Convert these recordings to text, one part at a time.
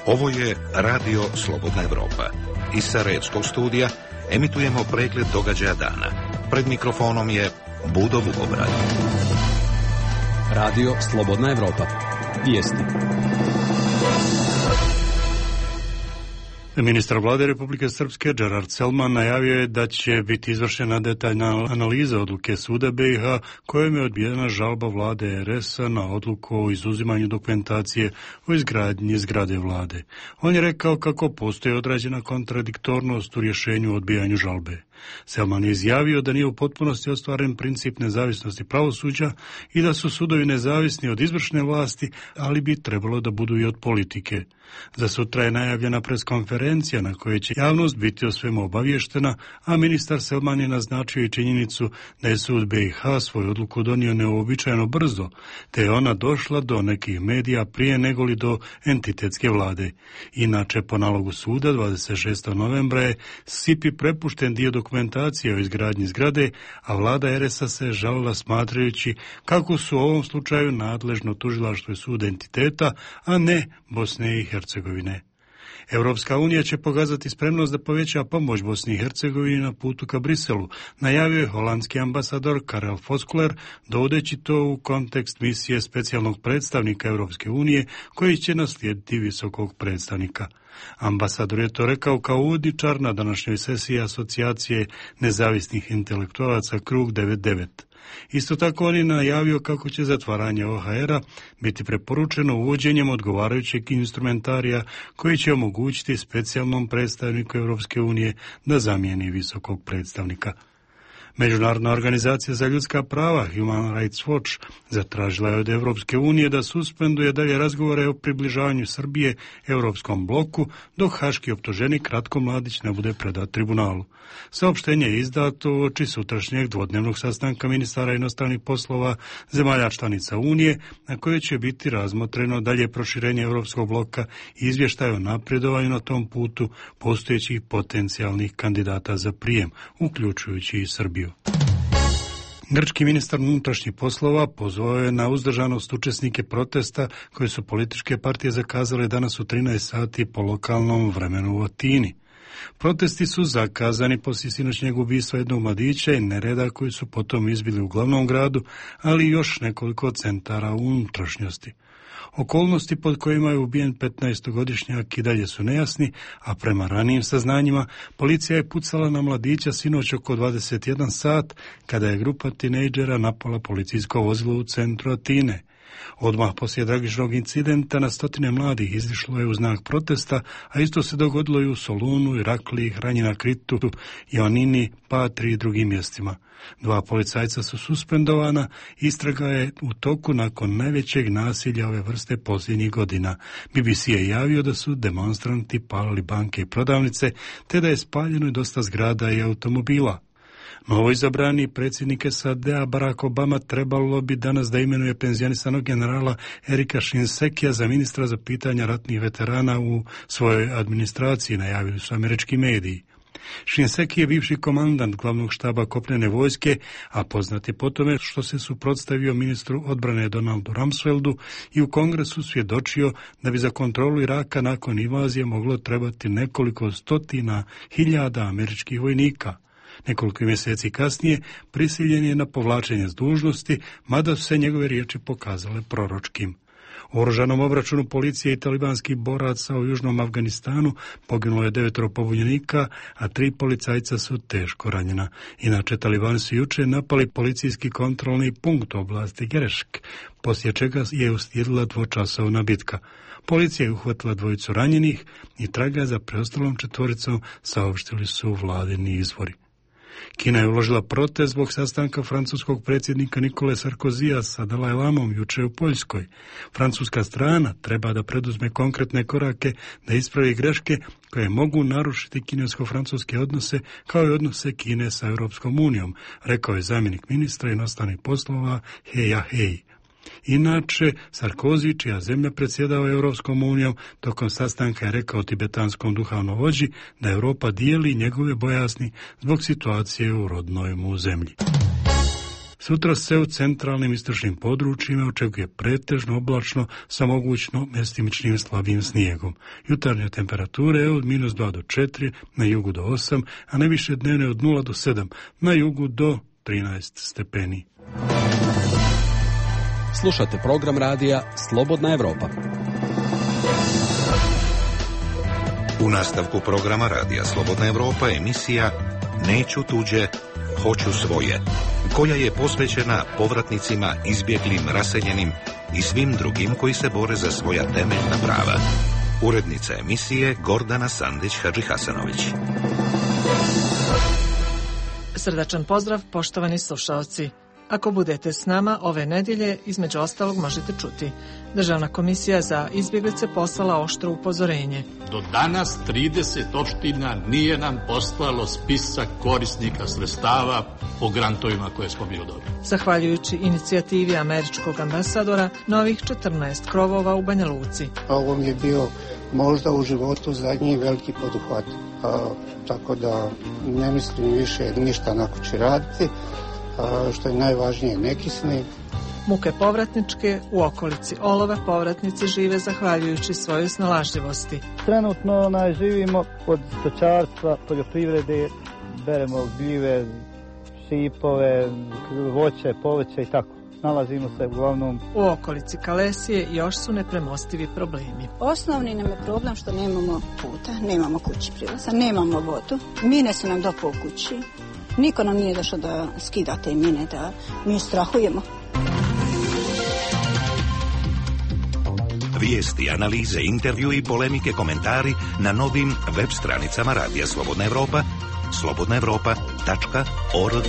Ovo je Radio Slobodna Evropa. Iz Sarajevskog studija emitujemo pregled događaja dana. Pred mikrofonom je Budo Vukobrad. Radio Slobodna Evropa. Vijesti. Ministar vlade Republike Srpske Gerard Selman najavio je da će biti izvršena detaljna analiza odluke suda BiH kojom je odbijena žalba vlade RS-a na odluku o izuzimanju dokumentacije o izgradnji zgrade vlade. On je rekao kako postoji određena kontradiktornost u rješenju o odbijanju žalbe. Selman je izjavio da nije u potpunosti ostvaren princip nezavisnosti pravosuđa i da su sudovi nezavisni od izvršne vlasti, ali bi trebalo da budu i od politike. Za sutra je najavljena preskonferencija na kojoj će javnost biti o svemu obavještena, a ministar Selman je naznačio i činjenicu da je sud BiH svoju odluku donio neuobičajeno brzo, te je ona došla do nekih medija prije negoli do entitetske vlade. Inače, po nalogu suda 26. novembra je SIPI prepušten dio dokumentacije o izgradnji zgrade, a vlada RS-a se žalila smatrajući kako su u ovom slučaju nadležno tužilaštvo i sud entiteta, a ne Bosne i Hercegovine. Europska unija će pokazati spremnost da poveća pomoć Bosni i Hercegovini na putu ka Briselu, najavio je holandski ambasador Karel Voskuiler, dovodeći to u kontekst misije specijalnog predstavnika Europske unije koji će naslijediti visokog predstavnika. Ambasador je to rekao kao uvodničar na današnjoj sesiji Asocijacije nezavisnih intelektualaca Krug 99. Isto tako on je najavio kako će zatvaranje OHR-a biti preporučeno uvođenjem odgovarajućeg instrumentarija koji će omogućiti specijalnom predstavniku Europske unije da zamijeni visokog predstavnika. Međunarodna organizacija za ljudska prava Human Rights Watch zatražila je od Europske unije da suspenduje dalje razgovore o približavanju Srbije Europskom bloku dok haški optuženik Ratko Mladić ne bude predat tribunalu. Saopštenje je izdato uoči sutrašnjeg dvodnevnog sastanka ministara inostranih poslova zemalja članica Unije na kojoj će biti razmotreno dalje proširenje Europskog bloka i izvještaj o napredovanju na tom putu postojećih potencijalnih kandidata za prijem, uključujući i Srbiju. Grčki ministar unutrašnjih poslova pozvao je na uzdržanost učesnike protesta koje su političke partije zakazale danas u 13 sati po lokalnom vremenu u Atini. Protesti su zakazani poslije sinoćnjeg ubistva jednog mladića i nereda koji su potom izbili u glavnom gradu, ali i još nekoliko centara u unutrašnjosti. Okolnosti pod kojima je ubijen 15-godišnjak i dalje su nejasni, a prema ranijim saznanjima policija je pucala na mladića sinoć oko 21 sat kada je grupa tinejdžera napala policijsko vozilo u centru Atine. Odmah poslije tragičnog incidenta na stotine mladih izišlo je u znak protesta, a isto se dogodilo i u Solunu, Irakliji, Hranjina, Kritu, Ionini, Patri i drugim mjestima. 2 policajca su suspendovana, istraga je u toku nakon najvećeg nasilja ove vrste posljednjih godina. BBC je javio da su demonstranti palili banke i prodavnice, te da je spaljeno i dosta zgrada i automobila. Novoizabrani predsjednik SAD-a Barack Obama trebalo bi danas da imenuje penzionisanog generala Erika Shinsekija za ministra za pitanja ratnih veterana u svojoj administraciji, najavili su američki mediji. Shinseki je bivši komandant glavnog štaba kopnene vojske, a poznat je po tome što se suprotstavio ministru odbrane Donaldu Rumsfeldu i u Kongresu svjedočio da bi za kontrolu Iraka nakon invazije moglo trebati nekoliko stotina hiljada američkih vojnika. Nekoliko mjeseci kasnije prisiljen je na povlačenje s dužnosti, mada su se njegove riječi pokazale proročkim. U oružanom obračunu policije i talibanskih boraca u južnom Afganistanu poginulo je 9 pobunjenika, a 3 policajca su teško ranjena. Inače, talibani su jučer napali policijski kontrolni punkt u oblasti Gerešk, poslije čega je uslijedila 2-časovna bitka. Policija je uhvatila 2 ranjenih i traga za preostalom 4, saopštili su vladini izvori. Kina je uložila protest zbog sastanka francuskog predsjednika Nikole Sarkozija sa Dalaj Lamom jučer u Poljskoj. Francuska strana treba da preduzme konkretne korake da ispravi greške koje mogu narušiti kinesko-francuske odnose kao i odnose Kine sa Europskom unijom, rekao je zamjenik ministra inostranih poslova He Yahei. Inače, Sarkozy, čija zemlja predsjedava Europskom unijom, tokom sastanka je rekao tibetanskom duhovnom vođi da Europa dijeli njegove bojazni zbog situacije u rodnoj mu zemlji. Sutra se u centralnim istočnim područjima očekuje pretežno oblačno sa mogućno mjestimičnim slabim snijegom. Jutarnje temperature od -2 do 4, na jugu do 8, a najviše dnevne od 0 do 7, na jugu do 13 stepeni. Slušate program radija Slobodna Evropa. U nastavku programa radija Slobodna Evropa emisija Neću tuđe, hoću svoje, koja je posvećena povratnicima, izbjeglim, raseljenim i svim drugim koji se bore za svoja temeljna prava. Urednica emisije Gordana Sandić-Hadžihasanović. Srdačan pozdrav, poštovani slušaoci. Ako budete s nama ove nedjelje, između ostalog možete čuti. Državna komisija za izbjeglice poslala oštro upozorenje. Do danas 30 opština nije nam poslalo spisak korisnika sredstava po grantovima koje smo bili dobili. Zahvaljujući inicijativi američkog ambasadora, novih 14 krovova u Banja Luci. Ovo mi je bio možda u životu zadnji veliki poduhvat, tako da ne mislim više ništa na kući raditi. Što je najvažnije, nekisni. Muke povratničke u okolici Olova povratnici žive zahvaljujući svojoj snalažljivosti. Trenutno živimo od stočarstva, poljoprivrede, beremo gljive, šipove, voće, povrće i tako. Nalazimo se uglavnom u okolici Kalesije još su nepremostivi problemi. Osnovni nam je problem što nemamo puta, nemamo kući prilaza, nemamo vodu. Mine su nam do po kući. Niko nam nije došao da skida te mine, da mi strahujemo. Vijesti, analize, intervju i polemike, komentari na novim web stranicama Radija Slobodna Evropa, slobodnaevropa.org.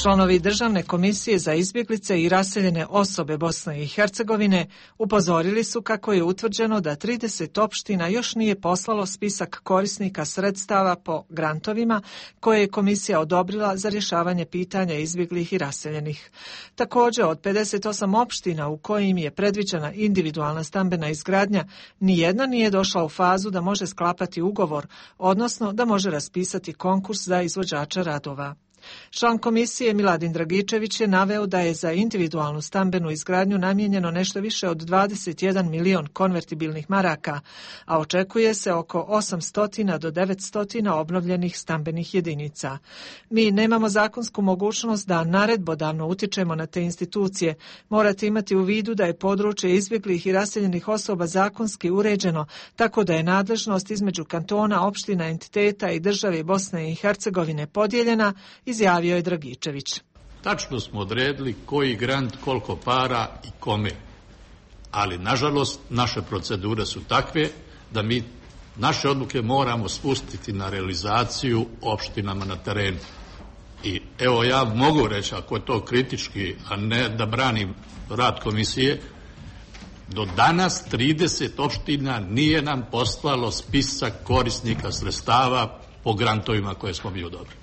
Članovi Državne komisije za izbjeglice i raseljene osobe Bosne i Hercegovine upozorili su kako je utvrđeno da 30 opština još nije poslalo spisak korisnika sredstava po grantovima koje je komisija odobrila za rješavanje pitanja izbjeglih i raseljenih. Također, od 58 opština u kojim je predviđena individualna stambena izgradnja, nijedna nije došla u fazu da može sklapati ugovor, odnosno da može raspisati konkurs za izvođača radova. Član komisije Miladin Dragičević je naveo da je za individualnu stambenu izgradnju namijenjeno nešto više od 21 milion konvertibilnih maraka, a očekuje se oko 800 do 900 obnovljenih stambenih jedinica. Mi nemamo zakonsku mogućnost da naredbodavno utičemo na te institucije. Morate imati u vidu da je područje izbjeglih i raseljenih osoba zakonski uređeno, tako da je nadležnost između kantona, opština, entiteta i države Bosne i Hercegovine podijeljena, izjavio je Dragičević. Tačno smo odredili koji grant, koliko para i kome. Ali, nažalost, naše procedure su takve da mi naše odluke moramo spustiti na realizaciju opštinama na terenu. I evo ja mogu reći, ako je to kritički, a ne da branim rad komisije, do danas 30 opština nije nam poslalo spisak korisnika sredstava po grantovima koje smo bili odobrili.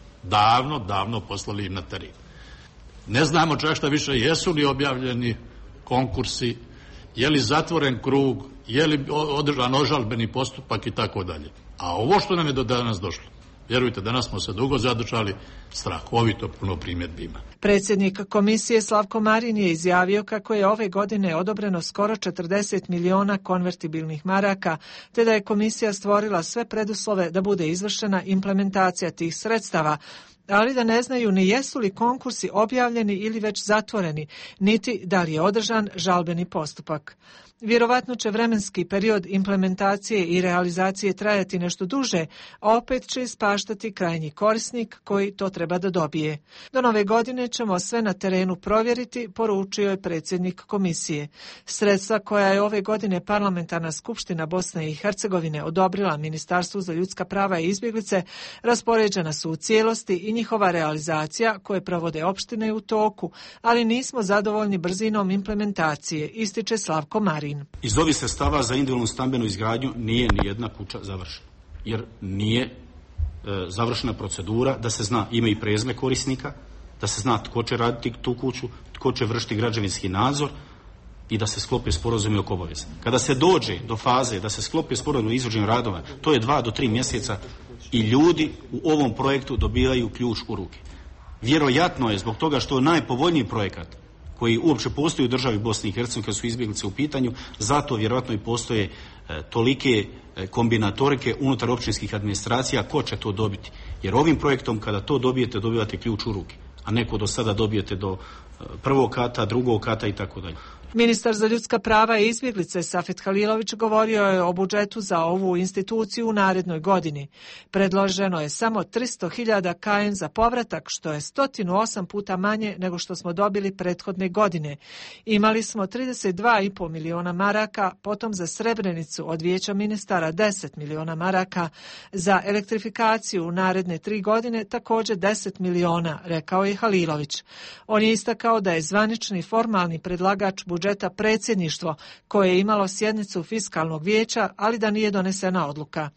Davno poslali im na teren. Ne znamo čak šta više, jesu li objavljeni konkursi, je li zatvoren krug, je li održan ožalbeni postupak i tako dalje. A ovo što nam je do danas došlo, vjerujte, danas smo se dugo zadržali, strahovito puno primjedbi ima. Predsjednik komisije Slavko Marin je izjavio kako je ove godine odobreno skoro 40 miliona konvertibilnih maraka, te da je komisija stvorila sve preduslove da bude izvršena implementacija tih sredstava, ali da ne znaju ni jesu li konkursi objavljeni ili već zatvoreni, niti da li je održan žalbeni postupak. Vjerovatno će vremenski period implementacije i realizacije trajati nešto duže, a opet će ispaštati krajnji korisnik koji to treba da dobije. Do nove godine ćemo sve na terenu provjeriti, poručio je predsjednik komisije. Sredstva koja je ove godine Parlamentarna skupština Bosne i Hercegovine odobrila Ministarstvu za ljudska prava i izbjeglice raspoređena su u cijelosti i njihova realizacija koje provode opštine u toku, ali nismo zadovoljni brzinom implementacije, ističe Slavko Marin. Iz ovih sredstava za individualnu stambenu izgradnju nije ni jedna kuća završena, jer nije završena procedura da se zna ime i prezime korisnika, da se zna tko će raditi tu kuću, tko će vršiti građevinski nadzor i da se sklopi sporazum oko obaveza. Kada se dođe do faze da se sklopi sporazum o izvođenju radova, to je 2 do 3 mjeseca i ljudi u ovom projektu dobivaju ključ u ruke. Vjerojatno je zbog toga što je najpovoljniji projekat koji uopće postoji u državi Bosni i Hercegovine kad su izbjeglice u pitanju, zato vjerojatno i postoje tolike kombinatorike unutar općinskih administracija ko će to dobiti. Jer ovim projektom kada to dobijete, dobivate ključ u ruke, a neko do sada dobijete do prvog kata, drugog kata i tako dalje. Ministar za ljudska prava i izbjeglice Safet Halilović govorio je o budžetu za ovu instituciju u narednoj godini. Predloženo je samo 300.000 KM za povratak, što je 108 puta manje nego što smo dobili prethodne godine. Imali smo 32,5 miliona maraka, potom za Srebrenicu od Vijeća ministara 10 miliona maraka, za elektrifikaciju u naredne 3 godine također 10 miliona, rekao je Halilović. On je istakao da je zvanični formalni predlagač budžeta predsjedništvo koje je imalo sjednicu fiskalnog vijeća, ali da nije donesena odluka.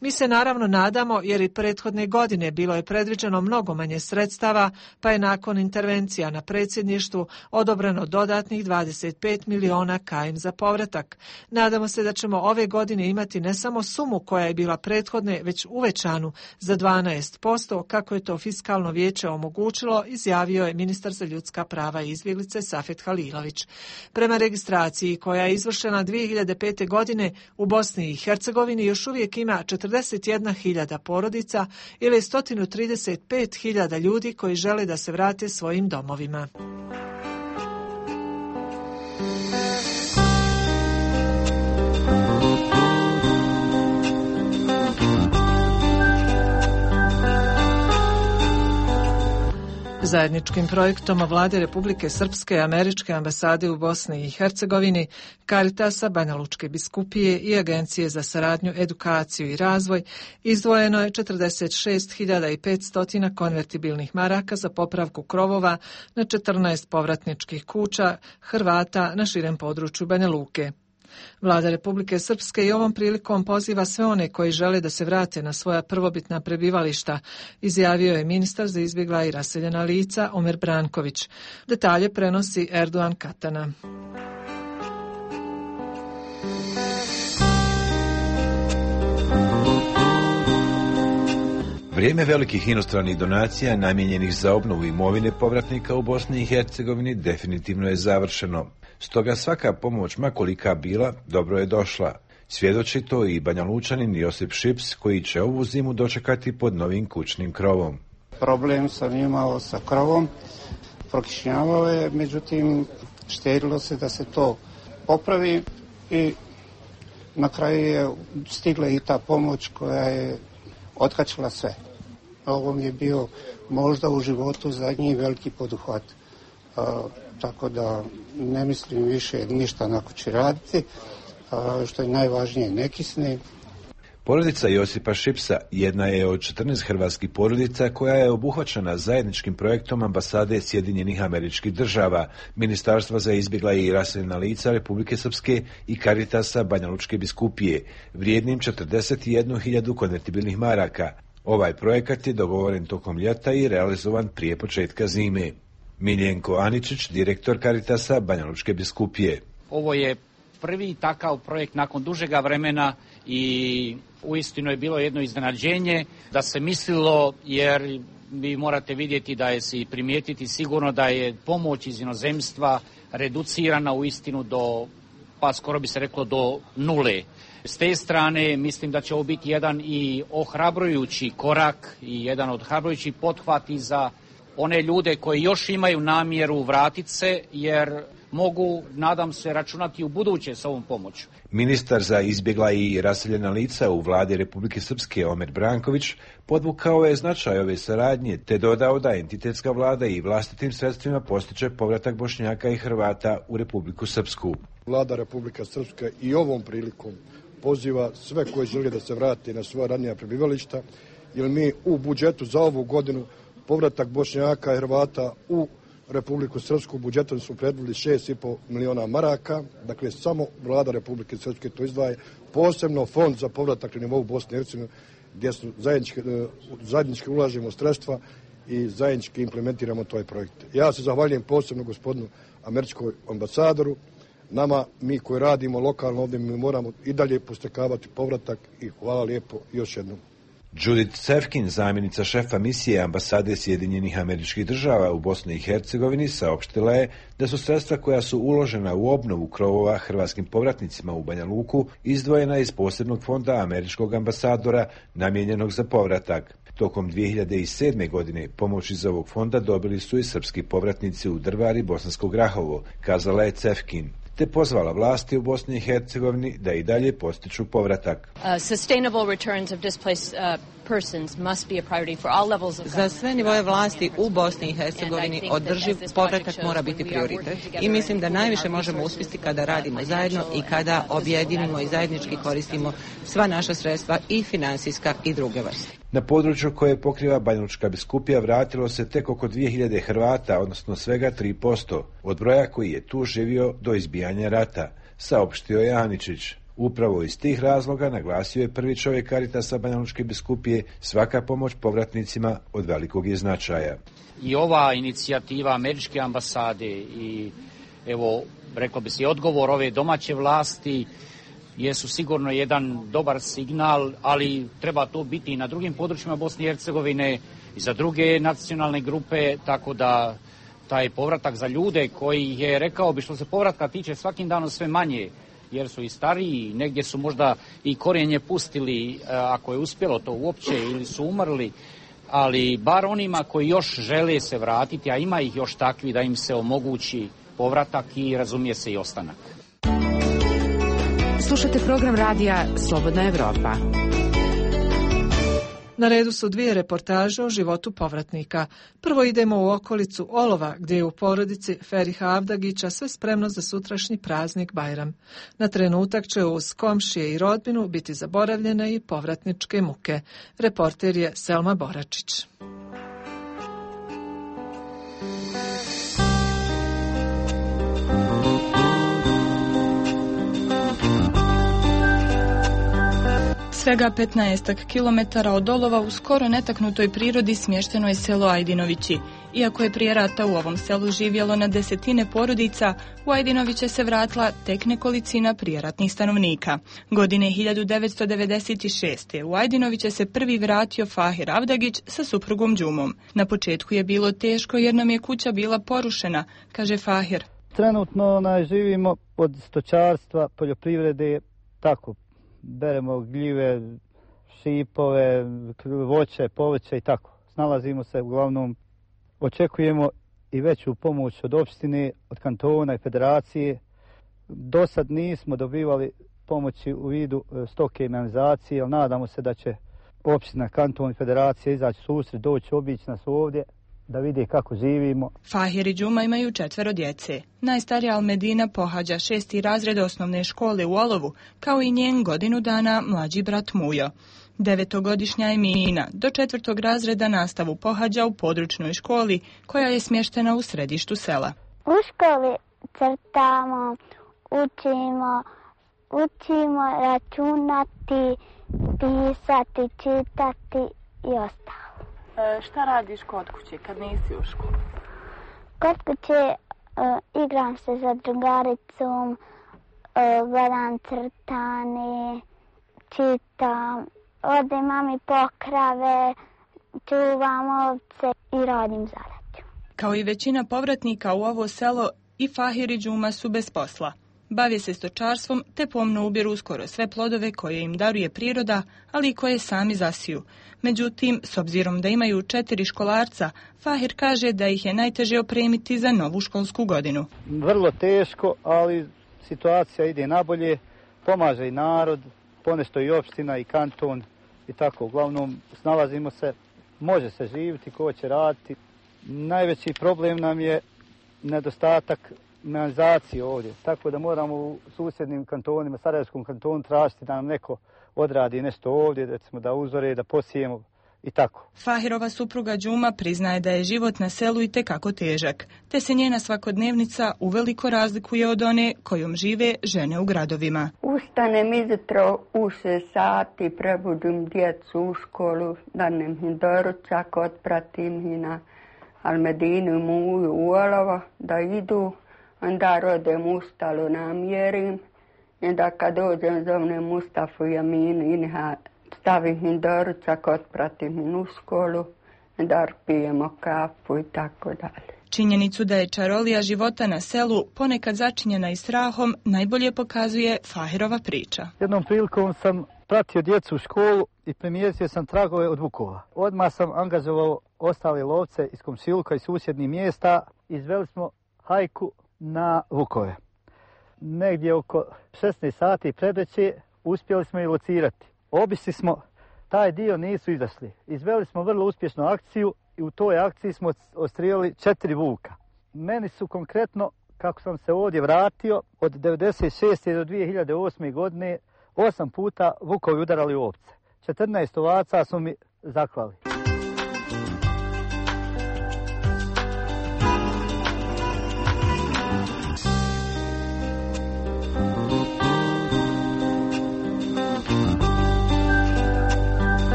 Mi se naravno nadamo, jer i prethodne godine bilo je predviđeno mnogo manje sredstava, pa je nakon intervencija na predsjedništvu odobreno dodatnih 25 miliona KM za povratak. Nadamo se da ćemo ove godine imati ne samo sumu koja je bila prethodne, već uvećanu za 12%, kako je to fiskalno vijeće omogućilo, izjavio je ministar za ljudska prava i izbjeglice Safet Halilović. Prema registraciji koja je izvršena 2005. godine u Bosni i Hercegovini još uvijek ima 41.000 porodica ili 135.000 ljudi koji žele da se vrate svojim domovima. Zajedničkim projektom Vlade Republike Srpske i Američke ambasade u Bosni i Hercegovini, Caritasa, Banja Lučke biskupije i Agencije za saradnju, edukaciju i razvoj izdvojeno je 46.500 konvertibilnih maraka za popravku krovova na 14 povratničkih kuća Hrvata na širem području Banja Luke. Vlada Republike Srpske i ovom prilikom poziva sve one koji žele da se vrate na svoja prvobitna prebivališta, izjavio je ministar za izbjegla i raseljena lica Omer Branković. Detalje prenosi Erdogan Katana. Vrijeme velikih inostranih donacija namijenjenih za obnovu imovine povratnika u Bosni i Hercegovini definitivno je završeno. Stoga svaka pomoć, makolika bila, dobro je došla. Svjedoči to i Banjalučanin Josip Šips, koji će ovu zimu dočekati pod novim kućnim krovom. Problem sam imao sa krovom, prokišnjavao je, međutim štedilo se da se to popravi i na kraju je stigla i ta pomoć koja je otkačila sve. Ovo mi je bio možda u životu zadnji veliki poduhvat. Tako da ne mislim više ništa na kući raditi, što je najvažnije ne kisni. Porodica Josipa Šipsa jedna je od 14 hrvatskih porodica koja je obuhvaćena zajedničkim projektom ambasade Sjedinjenih Američkih Država, Ministarstva za izbjegla i raseljena lica Republike Srpske i Caritasa Banja Lučke biskupije, vrijednim 41.000 konvertibilnih maraka. Ovaj projekat je dogovoren tokom ljeta i realizovan prije početka zime. Miljenko Aničić, direktor Caritasa Banja Lučke biskupije. Ovo je prvi takav projekt nakon dužega vremena i uistinu je bilo jedno iznenađenje da se mislilo, jer vi morate vidjeti da je se i primijetiti sigurno da je pomoć iz inozemstva reducirana uistinu do, pa skoro bi se reklo do nule. S te strane mislim da će ovo biti jedan i ohrabrujući korak i jedan od ohrabrujućih pothvati za one ljude koji još imaju namjeru vratiti se, jer mogu, nadam se, računati u buduće s ovom pomoću. Ministar za izbjegla i raseljena lica u vladi Republike Srpske Omer Branković podvukao je značaj ove saradnje te dodao da entitetska vlada i vlastitim sredstvima postiče povratak Bošnjaka i Hrvata u Republiku Srpsku. Vlada Republike Srpske i ovom prilikom poziva sve koji žele da se vrati na svoja ranija prebivališta, jer mi u budžetu za ovu godinu povratak Bošnjaka i Hrvata u Republiku Srpsku budžetom su predvidjeli 6,5 miliona maraka, dakle samo vlada Republike Srpske to izdvaja, posebno fond za povratak na nivou Bosne i Hercegovine, gdje su zajednički ulažemo sredstva i zajednički implementiramo taj projekt. Ja se zahvaljujem posebno gospodinu američkom ambasadoru. Nama, mi koji radimo lokalno ovdje, mi moramo i dalje postekavati povratak i hvala lijepo još jednom. Judith Sevkin, zamjenica šefa misije ambasade Sjedinjenih Američkih Država u Bosni i Hercegovini, saopštila je da su sredstva koja su uložena u obnovu krovova hrvatskim povratnicima u Banja Luku izdvojena iz posebnog fonda američkog ambasadora namijenjenog za povratak. Tokom 2007. godine pomoć iz ovog fonda dobili su i srpski povratnici u Drvar i Bosansko Grahovo, kazala je Cevkin, te pozvala vlasti u Bosni i Hercegovini da i dalje postiču povratak. Za sve nivoje vlasti u Bosni i Hercegovini održiv povratak mora biti prioritet i mislim da najviše možemo uspjeti kada radimo zajedno i kada objedinimo i zajednički koristimo sva naša sredstva i financijska i druge vrste. Na području koje pokriva Banjalučka biskupija vratilo se tek oko 2000 Hrvata, odnosno svega 3% od broja koji je tu živio do izbijanja rata, saopštio je Aničić. Upravo iz tih razloga, naglasio je prvi čovjek Caritasa Banjalučke biskupije, svaka pomoć povratnicima od velikog je značaja. I ova inicijativa američke ambasade i evo, reklo bi se, odgovor ove domaće vlasti jesu sigurno jedan dobar signal, ali treba to biti i na drugim područjima Bosne i Hercegovine i za druge nacionalne grupe, tako da taj povratak za ljude koji je, rekao bi, što se povratka tiče, svakim danom sve manje, jer su i stariji, negdje su možda i korijenje pustili, ako je uspjelo to uopće, ili su umrli, ali bar onima koji još žele se vratiti, a ima ih još takvi, da im se omogući povratak i razumije se i ostanak. Slušate program radija Slobodna Evropa. Na redu su dvije reportaže o životu povratnika. Prvo idemo u okolicu Olova, gdje je u porodici Feriha Avdagića sve spremno za sutrašnji praznik Bajram. Na trenutak će uz komšije i rodbinu biti zaboravljene i povratničke muke. Reporter je Selma Boračić. Svega 15 kilometara od Olova u skoro netaknutoj prirodi smješteno je selo Ajdinovići. Iako je prije rata u ovom selu živjelo na desetine porodica, u Ajdinoviće se vratila tek nekolicina prijeratnih stanovnika. Godine 1996. u Ajdinoviće se prvi vratio Fahir Avdagić sa suprugom Đumom. Na početku je bilo teško jer nam je kuća bila porušena, kaže Fahir. Trenutno živimo od stočarstva, poljoprivrede, tako. Beremo gljive, šipove, voće, povrće i tako. Snalazimo se, uglavnom očekujemo i veću pomoć od opštine, od kantona i federacije. Do sad nismo dobivali pomoći u vidu stoke i mehanizacije, ali nadamo se da će opština, kanton i federacija izaći susret, doći obići nas ovdje, da vidi kako živimo. Fahir i Đuma imaju 4 djece. Najstarija Almedina pohađa 6. razred osnovne škole u Olovu, kao i njen godinu dana mlađi brat Mujo. 9-godišnja Emina do 4. razreda nastavu pohađa u područnoj školi, koja je smještena u središtu sela. U školi crtamo, učimo računati, pisati, čitati i ostalo. Šta radiš kod kuće kad nisi u školi? Kod kuće igram se sa drugaricom, gledam crtane, čitam, odem mami pokrave, čuvam ovce i radim zadaću. Kao i većina povratnika u ovo selo, i Fahir i Đuma su bez posla. Bave se stočarstvom te pomno ubiru skoro sve plodove koje im daruje priroda, ali i koje sami zasiju. Međutim, s obzirom da imaju 4 školarca, Fahir kaže da ih je najteže opremiti za novu školsku godinu. Vrlo teško, ali situacija ide nabolje, pomaže i narod, ponešto i opština i kanton i tako. Uglavnom, snalazimo se, može se živjeti, ko će raditi. Najveći problem nam je nedostatak mehanizacije ovdje, tako da moramo u susjednim kantonima, Sarajevskom kantonu, tražiti da nam neko odradi nešto ovdje, recimo da uzore, da posijemo i tako. Fahirova supruga Đuma priznaje da je život na selu itekako težak, te se njena svakodnevnica uveliko razlikuje od one kojom žive žene u gradovima. Ustanem izutro u 6 sati, prebudim djecu u školu, danem im doručak, otpratim ih na Almedinu, Muju, u Olovo, da idu. Onda rodem ustalu, namjerim. I da kad dođem zovnem Mustafu i Aminu i stavim im doručak, otpratim im u školu, da pijemo kafu i tako dalje. Činjenicu da je čarolija života na selu ponekad začinjena i strahom najbolje pokazuje Fahirova priča. Jednom prilikom sam pratio djecu u školu i primijetio sam tragove od vukova. Odmah sam angažovao ostale lovce iz komšiluka i susjednih mjesta. Izveli smo hajku na vukove. Negdje oko 16 sati predveće uspjeli smo ih locirati. Obišli smo taj dio, nisu izašli. Izveli smo vrlo uspješnu akciju i u toj akciji smo odstrijelili 4 vuka. Meni su konkretno, kako sam se ovdje vratio, od 1996. do 2008. godine 8 puta vukovi udarali u ovce. 14 ovaca su mi zaklali.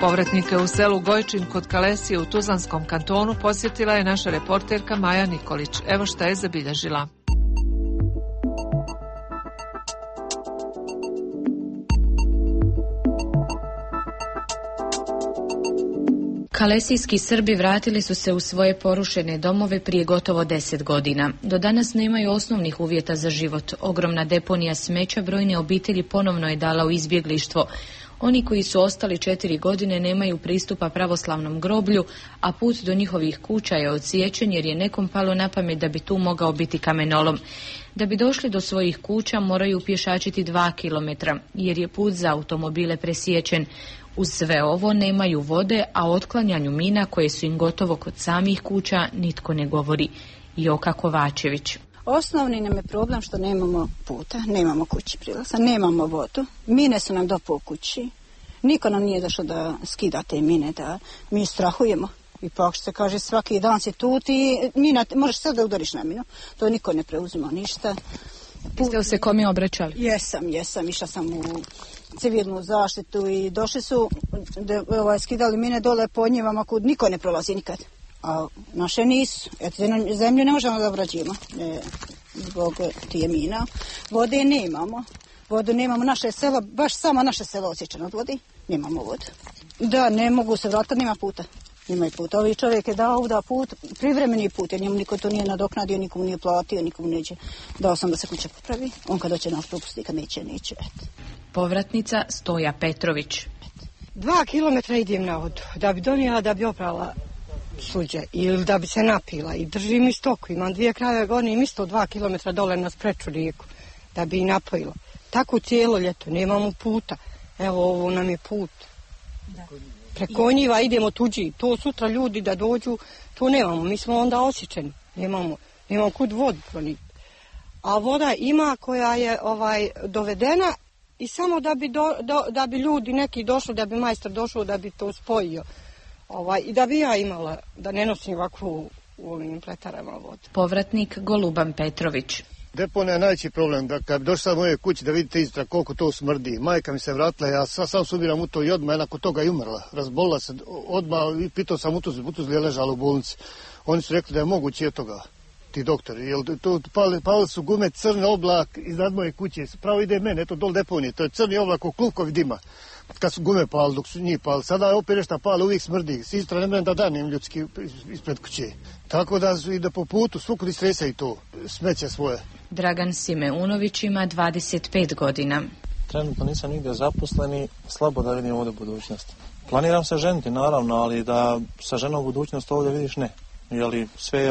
Povratnike u selu Gojčin kod Kalesije u Tuzlanskom kantonu posjetila je naša reporterka Maja Nikolić. Evo šta je zabilježila. Kalesijski Srbi vratili su se u svoje porušene domove prije gotovo 10 godina. Do danas nemaju osnovnih uvjeta za život. Ogromna deponija smeća brojne obitelji ponovno je dala u izbjeglištvo. Oni koji su ostali 4 godine nemaju pristupa pravoslavnom groblju, a put do njihovih kuća je odsječen jer je nekom palo na pamet da bi tu mogao biti kamenolom. Da bi došli do svojih kuća moraju pješačiti 2 kilometra jer je put za automobile presječen. Uz sve ovo nemaju vode, a o otklanjanju mina koje su im gotovo kod samih kuća nitko ne govori. Joka Kovačević. Osnovni nam je problem što nemamo puta, nemamo kući prilaza, nemamo vodu. Mine su nam do po kući. Niko nam nije došao da skida te mine, da mi strahujemo. Ipak se kaže svaki dan si tu, ti mina, možeš sad da udariš na minu. To niko ne preuzima ništa. Jeste li se kome obraćali? Jesam, išla sam u civilnu zaštitu i došli su skidali mine dole po njivama kud niko ne prolazi nikad. A naše nisu. Zemlju ne možemo da obrađujemo zbog tije mina. Vode nemamo. Vodu nemamo, naše selo, baš samo naše selo osjećano od vodi. Nemamo vodu. Da, ne mogu se vratiti, nema puta. Nema puta. Ovi čovjek je dao da put, privremeni put, jer njemu niko to nije nadoknadio, nikomu nije platio, nikomu neće. Dao sam da se kuća popravi. On kad hoće nas propusti, kad neće. Povratnica Stoja Petrović. 2 kilometra idem na vodu, da bi donijela, da bi oprala suđe ili da bi se napila i držim i stoku. Imam 2 krave, gonim isto 2 kilometra dole na spreču rijeku da bi i napojila. Tako cijelo ljeto, nemamo puta. Evo ovo nam je put. Preko njiva idemo tuđi. To sutra ljudi da dođu, to nemamo. Mi smo onda osjećeni. Nemamo kud vodu proniti. A voda ima koja je dovedena i samo da bi ljudi neki došli, da bi majstor došao, da bi to spojio. I da bi ja imala, da ne nosim ovakvu u ovim pletarama vodu. Povratnik Goluban Petrović. Deponija je najveći problem, da kad bi došla moje kući da vidite iztra koliko to smrdi. Majka mi se vratila, ja sam subiram u to i odmah, nakon toga i umrla. Razbolila se odmah i pitao sam Utuzli je ležala u bolnici. Oni su rekli da je moguće od toga, ti doktori. Jer to pali su gume, crni oblak iznad moje kuće. Pravo ide mene, eto dol deponije, to je crni oblak u klupkovi dima. Kad su gume pali, dok su njih pali. Sada je opet nešto pali, uvijek smrdi. S Istra ne mene da danim ljudski ispred kuće. Tako da su i da po putu svukud istresaju to smeće svoje. Dragan Simeunović ima 25 godina. Trenutno nisam nigdje zaposleni, slabo da vidim ovdje budućnost. Planiram se ženiti, naravno, ali da sa ženom budućnost ovdje vidiš ne. Jeli sve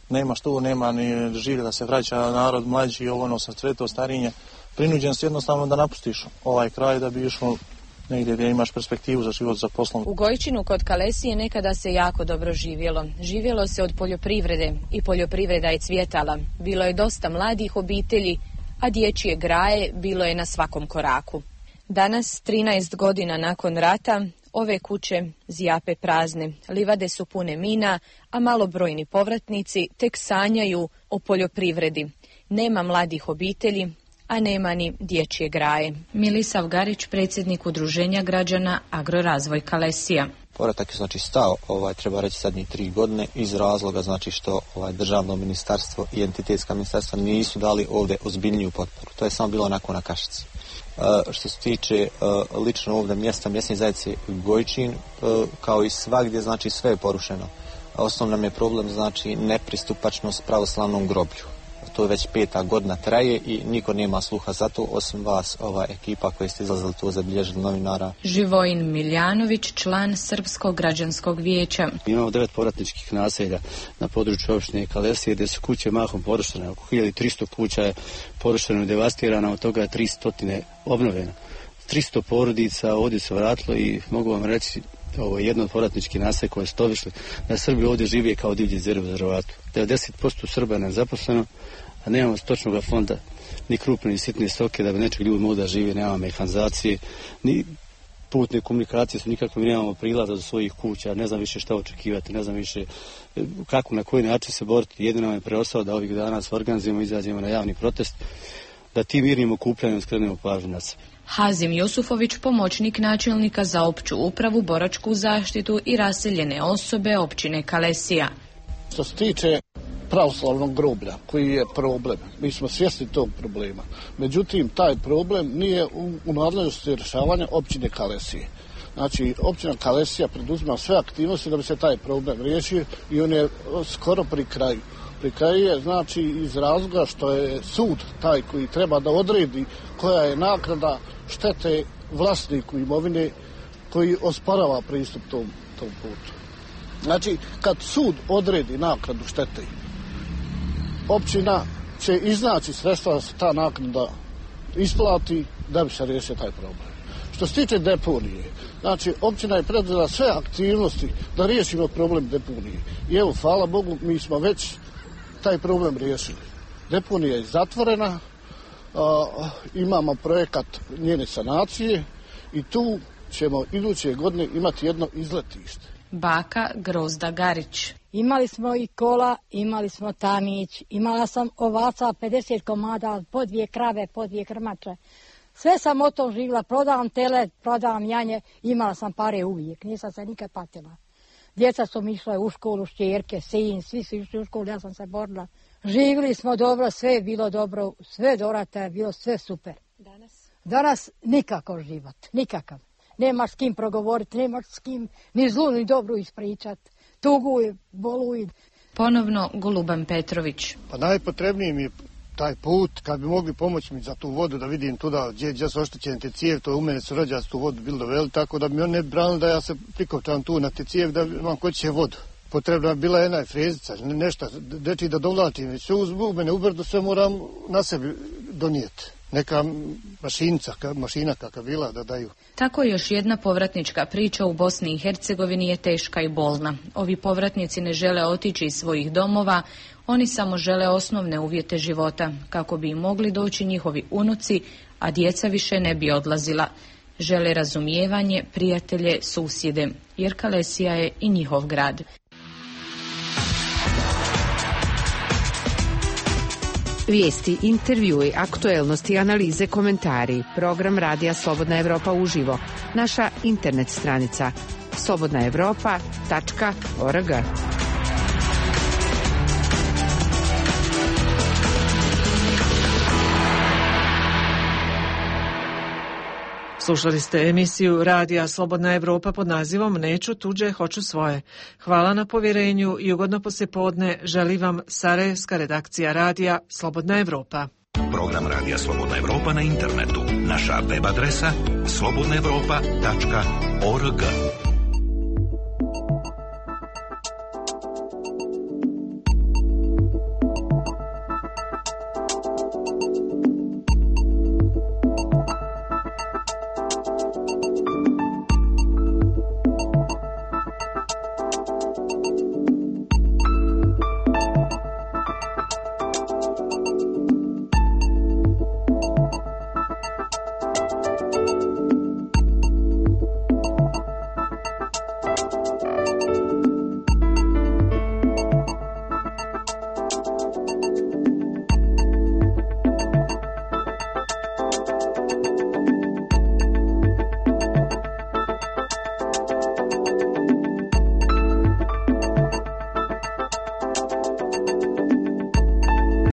nema što, nema ni življe da se vraća narod mlađi, sa cveto starinje. Prinuđen si jednostavno da napustiš ovaj kraj da bi išao negdje gdje imaš perspektivu za život, za poslom. U Gojčinu kod Kalesije nekada se jako dobro živjelo. Živjelo se od poljoprivrede i poljoprivreda je cvjetala. Bilo je dosta mladih obitelji, a dječje graje bilo je na svakom koraku. Danas, 13 godina nakon rata, ove kuće zjape prazne. Livade su pune mina, a malobrojni povratnici tek sanjaju o poljoprivredi. Nema mladih obitelji, a nema ni dječje graje. Milisav Garić, predsjednik Udruženja građana Agrorazvoj Kalesija. Povratak je znači stao, treba reći zadnjih 3 godine iz razloga znači što državno ministarstvo i entitetska ministarstva nisu dali ovdje ozbiljniju potporu. To je samo bilo onako na kašici. Što se tiče lično ovdje mjesta mjesne zajednice Gojčin, kao i svagdje, znači sve je porušeno. Osnovno nam je problem znači nepristupačnost pravoslavnom groblju. To je već 5. godina traje i niko nema sluha za to, osim vas, ova ekipa koji ste izlazili tu zabilježili novinara. Živojin Miljanović, član Srpskog građanskog vijeća. Imamo 9 povratničkih naselja na području opštine Kalesije gdje su kuće mahom porušene. Oko 1300 kuća je porušeno i devastirano, od toga je 300 obnovljeno. 300 porodica ovdje se vratilo i mogu vam reći, ovo je jedno od povratničkih naselja koje ste obišli, da Srbi ovdje žive kao divlji zveri u rezervatu. 90% Srba je nezaposleno, a nemamo stočnog fonda, ni krupne ni sitne stoke da bi nečeg ljudi mogli da žive, nemamo mehanizacije, ni putne komunikacije su nikakve, nemamo prilaza do svojih kuća, ne znam više šta očekivati, ne znam više kako, na koji način se boriti. Jedino nam je preostalo da ovih dana se organizujemo, izađemo na javni protest, da tim mirnim okupljanjem skrenemo pažnju na sebe. Hazim Jusufović, pomoćnik načelnika za opću upravu, boračku zaštitu i raseljene osobe općine Kalesija. Što se tiče pravoslavnog groblja, koji je problem, mi smo svjesni tog problema. Međutim, taj problem nije u nadležnosti rješavanja općine Kalesije. Znači, općina Kalesija preduzima sve aktivnosti da bi se taj problem riješio i on je skoro pri kraju. Pri kraju je, znači, iz razloga što je sud taj koji treba da odredi koja je naknada štete vlasniku imovine koji osporava pristup tom putu. Znači, kad sud odredi naknadu štete, općina će iznaći sredstva da se ta naknada isplati da bi se riješio taj problem. Što se tiče deponije, znači općina je preduzela sve aktivnosti da riješimo problem deponije. I evo, hvala Bogu, mi smo već taj problem riješili. Deponija je zatvorena, imamo projekat njene sanacije i tu ćemo iduće godine imati jedno izletište. Baka Grozda Garić. Imali smo i kola, imali smo tanić, imala sam ovaca 50 komada, po 2 krave, po 2 krmače. Sve sam o tom živjela, prodavam tele, prodavam janje, imala sam pare uvijek, nisam se nikad patila. Djeca su mi išle u školu, šćerke, sin, svi su išli u školu, ja sam se borila. Živjeli smo dobro, sve je bilo dobro, sve dorata je bilo, sve super. Danas nikakav život, nikakav. Nemaš s kim progovoriti, nemaš s kim ni zlu ni dobru ispričat. Tuguj, boluj. Ponovno Goluban Petrović. Pa najpotrebniji mi je taj put, kad bi mogli pomoći mi za tu vodu, da vidim tuda gdje su oštećene te cijevi, to u mene su rođaci tu vodu bili doveli, tako da mi on ne bi branili da ja se prikopčam tu na te cijevi da imam kod će vodu. Potrebna je bila jedna frezica, nešto, deči da dovlačim, već sve u mene ubrdo sve moram na sebi donijeti. Neka mašina kakva bila da daju. Tako još jedna povratnička priča u Bosni i Hercegovini je teška i bolna. Ovi povratnici ne žele otići iz svojih domova, oni samo žele osnovne uvjete života, kako bi im mogli doći njihovi unuci, a djeca više ne bi odlazila. Žele razumijevanje, prijatelje, susjede, jer Kalesija je i njihov grad. Vijesti, intervjui, aktuelnosti, analize, komentari. Program Radija Slobodna Evropa uživo. Naša internet stranica slobodnaevropa.org. Slušali ste emisiju Radija Slobodna Evropa pod nazivom Neću tuđe, hoću svoje. Hvala na povjerenju i ugodno poslijepodne želi vam sarajevska redakcija Radija Slobodna Evropa. Program Radija Slobodna Evropa na internetu. Naša web adresa slobodnaevropa.org.